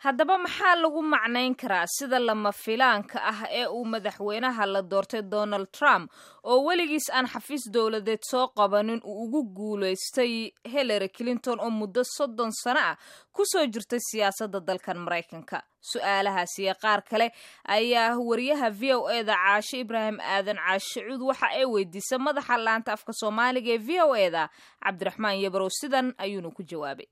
Haddaba, maxaa lagu macnayn karaa sida lama filaanka ah ee uu madaxweynaha la doortay Donald Trump, oo weligiis aan xafiis dowladeed soo qabanin, uu ugu guulaystay Hillary Clinton oo muddo 30 sano ah kusoo jirtay siyaasadda dalkan Maraykanka? Su-aalahaas iyo qaar kale ayaa wariyaha VOA-da Caashe Ibraahim Aadan, Caashe Cuud, waxa ay weydiisay madaxa laanta afka Soomaaliga ee VOA-da, Cabdiraxmaan Yabarow. Sidan ayuuna ku jawaabay.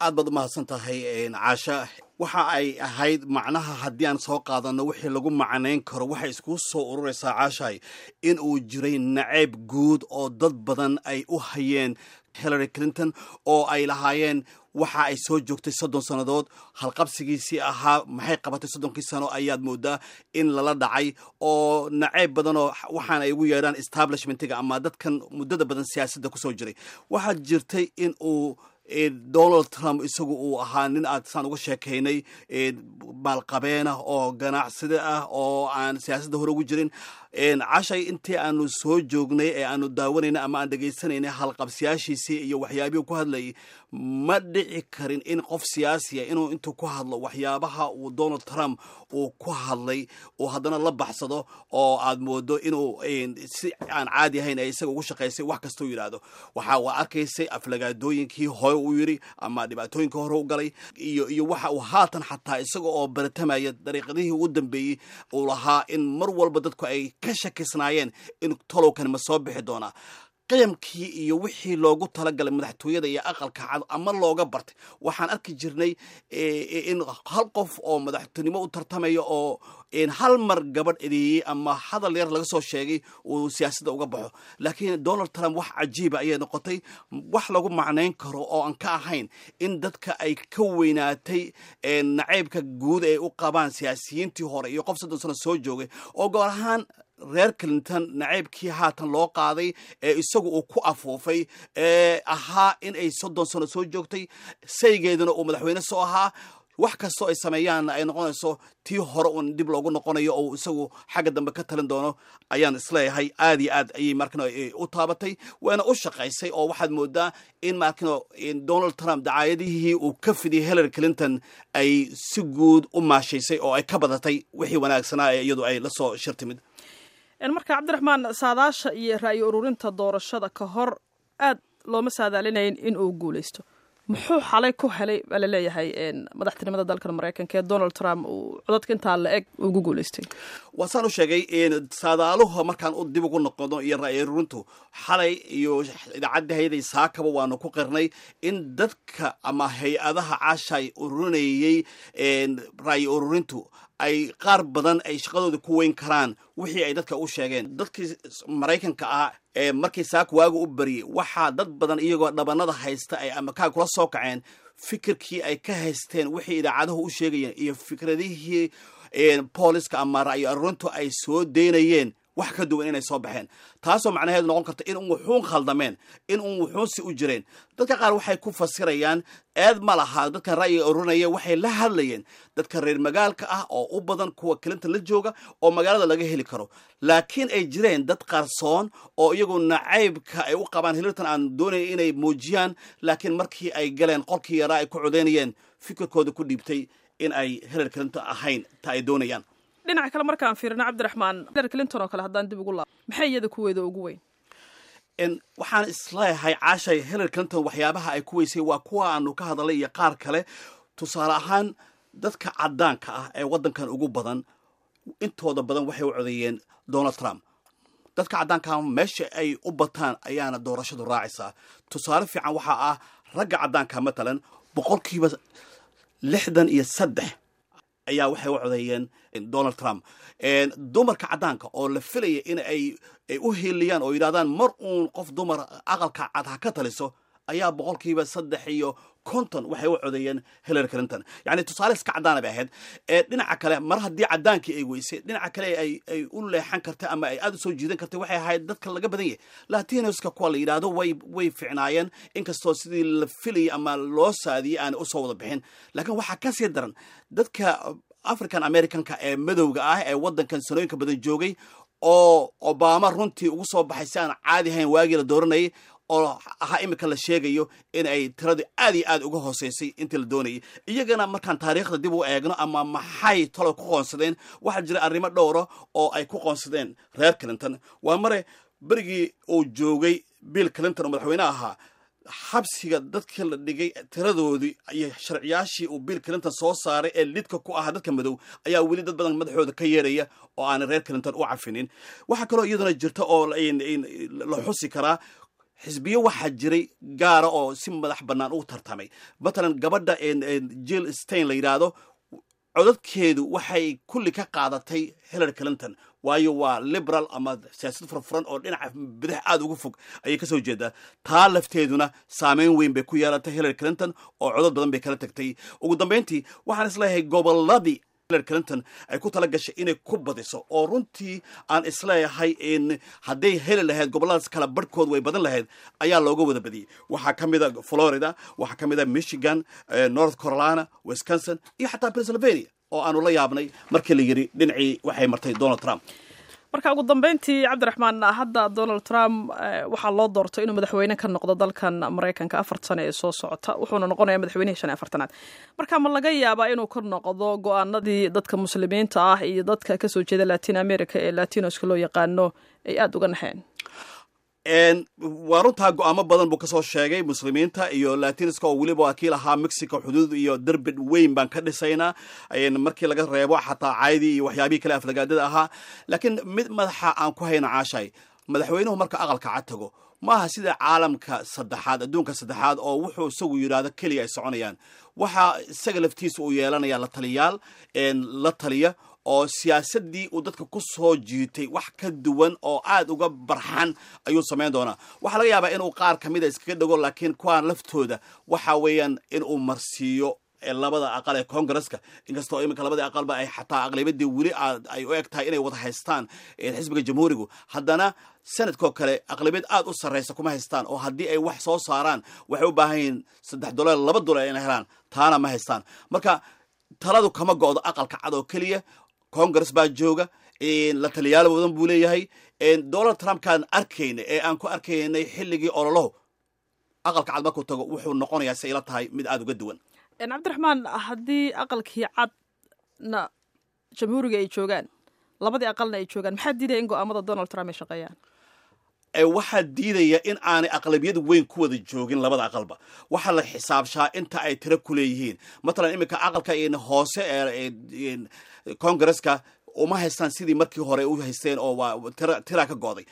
Aad baad umahadsan tahay, Caasha. Waxa ay ahayd macnaha haddii aan soo qaadano wixii lagu macnayn karo, waxay iskuu soo ururaysaa, Caashahay, in uu jiray nacayb guud oo dad badan ay u hayeen Hillary Clinton, oo ay lahaayeen waxa ay soo joogtay 30 sannadood. Halqabsigiisii ahaa "Maxay qabatay 30-kii sano?" ayaad moodaa in lala dhacay, oo nacayb badanoo waxaan ay ugu yeedhaan establishmentiga ama dadkan muddada badan siyaasadda kusoo jiray. Waxaa jirtay in uu Donald Trump isagu uu ahaa nin aad saan uga sheekaynay maalqabeena oo ganacsida ah oo aan siyaasadda hore ugu jirin. Cashay, intii aanu soo joognay ee aanu daawanaynay ama aan dhegaysanaynay halqabsiyaashiisii iyo waxyaabihii ku hadlayay, ma dhici karin in qof siyaasiya inuu intuu ku hadlo waxyaabaha uu Donald Trump uu ku hadlay uu haddana la baxsado, oo aad moodo inuu si aan caadi ahayn ay isaga ugu shaqaysay wax kastuu yidhaahdo. Waxa uu arkaysay aflagaadooyinkii hore uu yidhi ama dhibaatooyinkii hore u galay iyo waxa uu haatan xataa isaga oo baratamaya dariiqadihii ugu dambeeyey uu lahaa, in mar walba dadku ay ka shakisnaayeen in tolowkan ma soo bixi doonaa. Qiyamkii iyo wixii loogu talagalay madaxtooyada iyo Aqalka Cad ama looga bartay, waxaan arki jirnay in hal qof oo madaxtinimo u tartamaya oo hal mar gabadh edeeyey ama hadal yar laga soo sheegay uu siyaasadda uga baxo. Laakiin Donald Trump wax cajiiba ayay noqotay. Wax lagu macnayn karo oo aan ka ahayn in dadka ay ka weynaatay nacaybka guud ay u qabaan siyaasiyiintii hore iyo qof 30 sano soo joogay, oo goor ahaan reer Clinton nacaybkii haatan loo qaaday ee isagu uu ku afuufay ee ahaa in ay 30 sano soo joogtay, saygeeduna uu madaxweyne soo ahaa, wax kastoo ay sameeyaanna ay noqonayso tii hore uun dib loogu noqonayo oo isagu xagga dambe ka talin doono, ayaan isleeyahay aad iyo aad ayay markano u taabatay, waana u shaqaysay. Oo waxaad moodaa in markano Donald Trump dacaayadihii uu ka fidiyay Hillary Clinton ay si guud u maashaysay oo ay ka badatay wixii wanaagsanaa ee iyadu ay la soo shirtimid. Marka, Cabdiraxmaan, saadaasha iyo ra'yi ururinta doorashada ka hor aad looma saadaalinayn in uu guuleysto. Muxuu xalay ku helay baa laleeyahay madaxtinimada dalkan Maraykanka ee Donald Trump uu codadka intaa la eg ugu guuleystay? Waa saan u sheegay, saadaaluhu markaan u dib ugu noqono iyo ra'yi ururintu xalay iyo idaacadda hayday saakaba, waanu ku qirnay in dadka ama hay-adaha, Caashay, ururinayay ra'yi ururintu ay qaar badan ay shaqadooda ku weyn karaan wixii ay dadka u sheegeen. Dadkii Maraykanka ah ee markii saaka waaga u baryey, waxaa dad badan iyagoo dhabanada haysta ay ama kaa kula soo kaceen fikirkii ay ka haysteen wixii idaacaduhu u sheegayeen iyo fikradihii booliska ama ra'yi arurintu ay soo deynayeen wax ka duwan inay soo baxeen, taasoo macnaheedu noqon karta in un wuxuun khaldameen, in un wuxuun si u jireen. Dadka qaar waxay ku fasirayaan eed ma laha dadkan ra'yiga ururinaya, waxay la hadlayeen dadka reer magaalka ah oo u badan kuwa Clinton la jooga oo magaalada laga heli karo, laakiin ay jireen dad qarsoon oo iyagu nacaybka ay u qabaan Hillary aan doonaya inay muujiyaan, laakiin markii ay galeen qolkii yaraa ay ku codeynayeen fikirkooda ku dhiibtay in ay Hillary Clinton ahayn ta ay doonayaan. Dhinaca kale markaan fiirino, Cabdiraxmaan, Hillary Clinton oo kale haddaan dib ugu laabo, maxay iyada kuweeda ugu weyn? Waxaan isleeyahay, Caashay, Hillary Clinton waxyaabaha ay ku weysay waa kuwa aanu ka hadalay iyo qaar kale. Tusaale ahaan, dadka caddaanka ah ee waddankan ugu badan intooda badan waxay u codeeyeen Donald Trump. Dadka caddaanka meesha ay u bataan ayaana doorashadu raacaysaa. Tusaale fiican waxaa ah ragga caddaanka matalan 63% ayaa waxay u codeeyeen Donald Trump. Dumarka caddaanka oo la filaya in ay u hiiliyaan oo yidhahdaan mar uun qof dumar Aqalka Cad ha ka taliso ayaa 53% waxay u codeeyeen Hillary Clinton. Yani tusaale iska caddaana bay ahayd. Dhinaca kale, mar haddii caddaankii ay weysay, dhinaca kale ay u leexan kartay ama ay aada u soo jiidan kartay waxay ahayd dadka laga badan yahay, Latinoska kuwa la yidhaahdo. Way ficnaayeen, inkastoo sidii la filayay ama loo saadiyey aanay usoo wada bixin. Laakiin waxaa kasii daran dadka African Americanka ee madowga ah ee waddankan sanooyinka badan joogay, oo Obama runtii ugu soo baxay si aan caadi ahayn waagii la dooranayay. Oo ahaa iminka la sheegayo in ay tiradu aad iyo aad uga hooseysay intii la doonayay. Iyagana markaan taariikhda dib u eegno ama maxay talo ku qoonsadeen, waxaa jira arrimo dhowra oo ay ku qoonsadeen reer Clinton. Waa mare, berigii uu joogay Bill Clinton oo madaxweyne ahaa, xabsiga dadkii la dhigay tiradoodii iyo sharciyaashii uu Bill Clinton soo saaray ee lidka ku ahaa dadka madow ayaa weli dad badan madaxooda ka yeeraya oo aanay reer Clinton u cafinin. Waxaa kaloo iyaduna jirta oo la xusi karaa, xisbiyo waxaa jiray gaara oo si madax bannaan u tartamay. Matalan, gabadha Jill Stein la yidhaahdo, codadkeedu waxay kulli ka qaadatay Hillary Clinton, waayo waa liberal ama siyaasad furfuran oo dhinaca bidix aada uga fog ayay kasoo jeedaa. Taa lafteeduna saameyn weyn bay ku yeelatay Hillary Clinton oo codad badan bay kala tagtay. Ugu dambeyntii, waxaan isleeyahay gobolladii Hillary Clinton ay ku tala gashay inay ku badiso, oo runtii aan isleeyahay in hadday heli lahayd gobolladaas kala barhkood way badan lahayd, ayaa looga wada badiyey. Waxaa ka mid a Florida, waxaa ka mid a Michigan, North Carolina, Wisconsin iyo xataa Pennsylvania oo aanu la yaabnay markii la yidhi dhinacii waxay martay Donald Trump. Marka ugu dambeyntii, Cabdiraxmaan, hadda Donald Trump waxaa loo doortay inuu madaxweyne ka noqdo dalkan Maraykanka 4 sano ee soo socota, wuxuuna noqonayaa madaxweynihii 45aad. Marka ma laga yaabaa inuu ka noqdo go-aanadii dadka Muslimiinta ah iyo dadka kasoo jeeda Latin America ee Latinoska loo yaqaano ay aada uga naxeen? Waa runtaa, go-aamo badan buu kasoo sheegay Muslimiinta iyo Latiniska, oo weliba waa kii lahaa Mexico xuduud iyo derbi weyn baan ka dhisaynaa, markii laga reebo xataa caydii iyo waxyaabihii kale aflagaadada ahaa. Laakiin mid madaxa aan ku hayna, Caashay, madaxweynuhu marka Aqalka Cad tago maaha sida caalamka saddexaad, adduunka saddexaad, oo wuxuu isagu yidhaahdo keliya ay soconayaan. Waxaa isaga laftiisa uu yeelanaya la taliyaal la taliya, oo siyaasaddii uu dadka ku soo jiitay wax ka duwan oo aad uga barxan ayuu samayn doonaa. Waxaa laga yaabaa inuu qaar ka mida iskaga dhego, laakiin kuwaan laftooda waxa weeyaan inuu marsiiyo labada aqal ee Congresska, inkastoo iminka labada aqalba ay xataa aqlabiyadii weli ay u eg tahay inay wada haystaan xisbiga Jamhuurigu, haddana Senate-koo kale aqlabiyad aad u sarreysa kuma haystaan, oo haddii ay wax soo saaraan waxay u baahan yihiin 3 dolar, 2 dolar inay helaan, taana ma haystaan. Marka taladu kama go'do Aqalka Cad oo keliya. Congress baa jooga, la taliyaal badan buu leeyahay. Donald Trumpkaan arkayna ee aan ku arkaynay xilligii ololohu, Aqalka Cad markuu tago wuxuu noqonayaa, si ila tahay, mid aada uga duwan. Cabdiraxmaan, haddii Aqalkii Cadna Jamhuuriga ay joogaan, labadii aqalna ay joogaan, maxaa diidaya in go-aamada Donald Trump ay shaqeeyaan? Waxaa diidaya in aanay aqlabiyad weyn ku wada joogin labada aqalba. Waxaa la xisaabshaa inta ay tiro ku leeyihiin. Matalan, iminka aqalka hoose ee Congresska uma haystaan sidii markii hore u haysteen, oo waa tira ka go'day.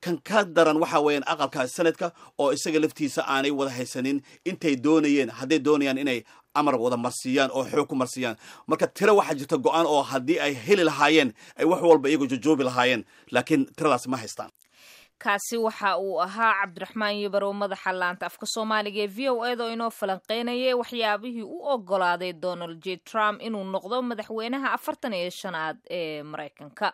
Kan ka daran waxa weeyaan aqalka Senate-ka, oo isaga laftiisa aanay wada haysanin intay doonayeen hadday doonayaan inay amar wada marsiiyaan oo xoog ku marsiiyaan. Marka tiro waxaa jirta go-aan oo haddii ay heli lahaayeen ay wax walba iyagu jojoobi lahaayeen, laakiin tiradaas ma haystaan. Kaasi waxa uu ahaa Cabdiraxmaan Yibarow, madaxa laanta afka Soomaaliga ee VOA da, oo inoo falanqeynayay waxyaabihii u ogolaaday Donald J Trump inuu noqdo madaxweynaha 45aad ee Maraykanka.